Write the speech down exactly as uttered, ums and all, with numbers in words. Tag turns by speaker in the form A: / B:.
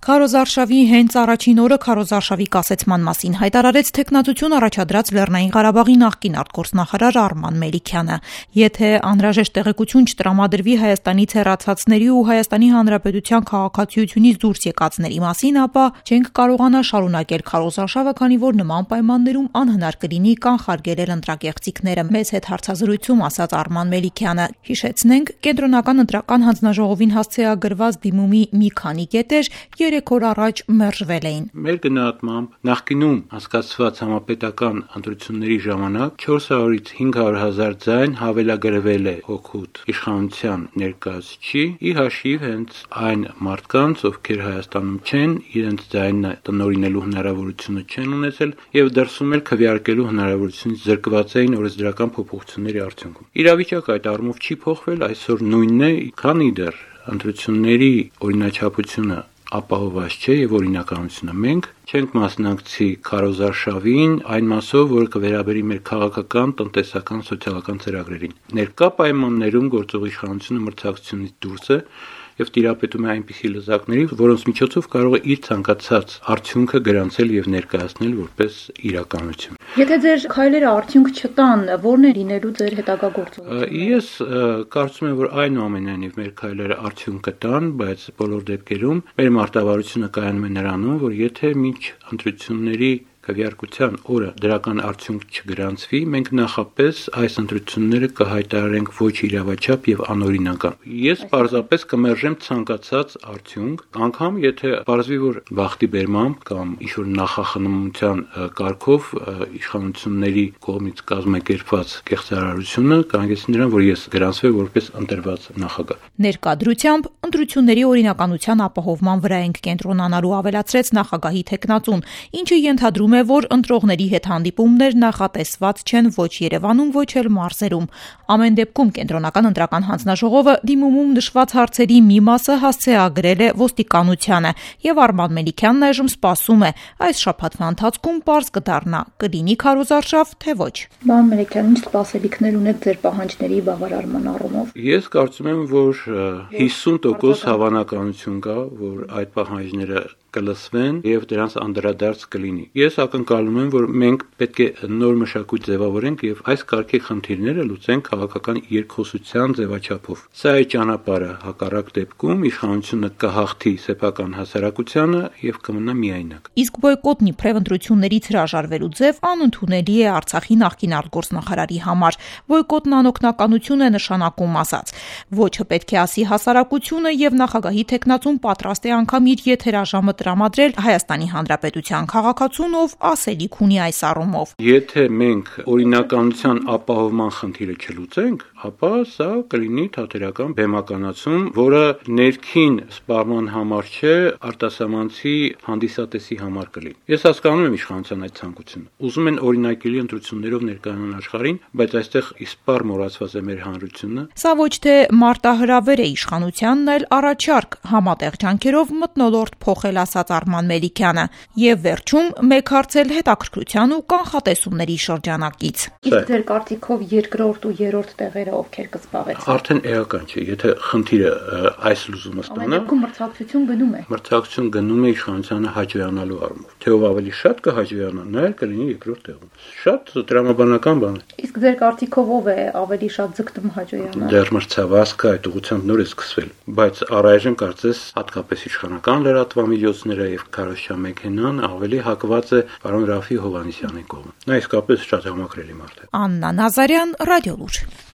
A: Քարոզարշավի հենց առաջին օրը քարոզարշավի կասեցման մասին հայտարարեց թեկնածություն առաջադրած Լեռնային Ղարաբաղի նախկին արտգործնախարար Արման Մելիքյանը։ Եթե անհրաժեշտ տեղեկություն չտրամադրվի Հայաստանից հեռացածների ու Հայաստանի Հանրապետության քաղաքացիությունից դուրս եկածների մասին, ապա չենք կարողանա շարունակել քարոզարշավը, քանի որ նման պայմաններում անհնար կլինի կանխարգելել ընտրակեղծիքները։ Մեզ հետ հարցազրույցում ասաց Արման Մելիքյանը։ Հիշեցնենք, կենտրոնական ընտրական հանձնաժողովին հասցեագրված դիմումի մի քանի կետեր երեք օր առաջ մերժվել էին։
B: Մեր գնահատմամբ նախկինում հասկացված համապետական ընտրությունների ժամանակ չորս հարյուրից հինգ հարյուր հազար ձայն հավելագրվել է օգուտ իշխանության ներկայացուցիչի ի հաշիվ հենց այն մարդկանց, ովքեր Հայաստանում չեն, իրենց ձայնը տնօրինելու հնարավորությունը չեն ունեցել եւ դրսում էլ քվեարկելու հնարավորությունից զրկված էին օրենսդրական փոփոխությունների արդյունքում։ Իրավիճակը այդ առումով չի փոխվել, այսօր նույնն է, քանի դեռ ընտրությունների օրինաչափությունը ապահովված չէ եւ օրինականությունը։ Մենք չենք մասնակցի քարոզարշավին այն մասով, որը կվերաբերի մեր քաղաքական, տնտեսական, սոցիալական ծրագրերին։ Ներկա պայմաններում գործող իշխանությունը մրցակցությունից դուրս է եւ տիրապետում է այնպիսի լեզակների, որոնց միջոցով կարող է իր ցանկացած արդյունքը գրանցել եւ ներկայացնել որպես իրականություն։
A: Եթե ձեր քայլերը արդյունք չտան, ո՞րն է լինելու ձեր հետագա գործողությունը։
B: Ես կարծում եմ, որ այնուամենայնիվ մեր քայլերը արդյունք կտան, բայց բոլոր դեպքերում մեր մարտավարությունը կայանում է նրանում, որ եթե մինչ ընտրությունների քվեարկության օրը դրական արդյունք չգրանցվի, մենք նախապես այս ընտրությունները կհայտարարենք ոչ իրավաչափ եւ անօրինական։ Ես պարզապես կմերժեմ ցանկացած արդյունք, անգամ եթե պարզվի, որ վախտի բերմամբ կամ ինչ-որ նախախնամության կարգով իշխանությունների կողմից կազմակերպված կեղծարարությունը կհանգեցնի նրան, որ ես գրանցվեմ որպես ընտրված նախագահ։
A: Ներկա դրությամբ ընտրությունների օրինականության ապահովման վրա ենք կենտրոնանալու, ավելացրեց նախագահի թեկնածուն, ինչը ենթադրում է, որ ընտրողների հետ հանդիպումներ նախատեսված չեն ոչ Երևանում, ոչ էլ մարզերում։ Ամեն դեպքում կենտրոնական ընտրական հանձնաժողովը դիմումում նշված հարցերի մի մասը հասցեագրել է ոստիկանությանը եւ Արման Մելիքյանն այժմ սպասում է այս շաբաթվա ընթացքում պարզ կդառնա՝ կլինի քարոզարշավ, թե ոչ։ Պարոն Մելիքյան, ինչ սպասելիքներ ունեք ձեր պահանջների բավարարման առումով։
B: Ես կարծում եմ, որ հիսուն տոկոս հավանականություն կա, որ այդ պահանջները կլսվեն եւ դրանց անդրադարձ կլինի։ Ես ակնկալում եմ, որ մենք պետք է նոր մշակույթ ձևավորենք եւ այս կարգի խնդիրները լուծենք քաղաքական երկխոսության ձևաչափով։ Սա է ճանապարհը, հակառակ դեպքում իշխանությունը կհաղթի սեփական հասարակությանը եւ կմնա միայնակ։
A: Իսկ բոյկոտն իբրև ընտրություններից հրաժարվելու ձև անընդունելի է Արցախի նախկին արտգործնախարարի համար։ Բոյկոտն անօգնականություն է նշանակում, ասաց։ Ոչը պետք է ասի հասարակությունը եւ նախագահի թեկնածուն պատրաստ է անգամ իր եթերաժամը տրամադրել Հայաստանի Հանրապետության քաղաքացուն, ով ասելիք ունի այս առումով։
B: Եթե մենք օրինականության ապահովման խնդիրը չլուծենք, ապա սա կլինի թատերական բեմականացում, որը ներքին սպառման համար չէ, արտասահմանցի հանդիսատեսի համար կլինի։ Ես հասկանում եմ իշխանության այդ ցանկությունը։ Ուզում են օրինակելի ընտրություններով ներկայանալ աշխարհին, բայց այստեղ իսպառ մոռացված է մեր հանրությունը։
A: Սա ոչ թե մարտահրավեր է իշխանությանն, այլ առաջարկ համատեղ ջանքերով մթնոլորտ փոխել, ասաց Արման Մելիքյանը, եւ վերջում մեկ հարց էլ հետաքրքրության ու կանխատեսումների շրջանակից։ Իսկ ձեր կարծիքով երկրորդ ու երրորդ տեղերը ովքեր կզբաղեցնեն։
B: Արդեն էական չէ, եթե խնդիրը այս լուծումը ստանա։
A: Ամեն մրցակցություն գնում է։
B: Մրցակցություն գնում է իշխանությանը հաջողանալու առումով։ Թե ով ավելի շատ կհաջողանա, նա էլ կլինի երկրորդ տեղում։ Շատ տրամաբանական բան է։
A: Իսկ ձեր կարծիքով ով է ավելի շատ ձգտում հաջողանալ։
B: Դեռ մրցավազքը այդ ուղղությամբ նոր է սկսվել, բայց առայժմ կարծես հատկապես իշխանական լրատվամիջոցները եւ քարոզչամեքենան ավելի հակված է պարոն Ռաֆի Հովհաննիսյանի կողմը։ Նա իսկապես շատ համակրելի մարդ է։
A: Աննա Նազարյան, Ռադիոլուր։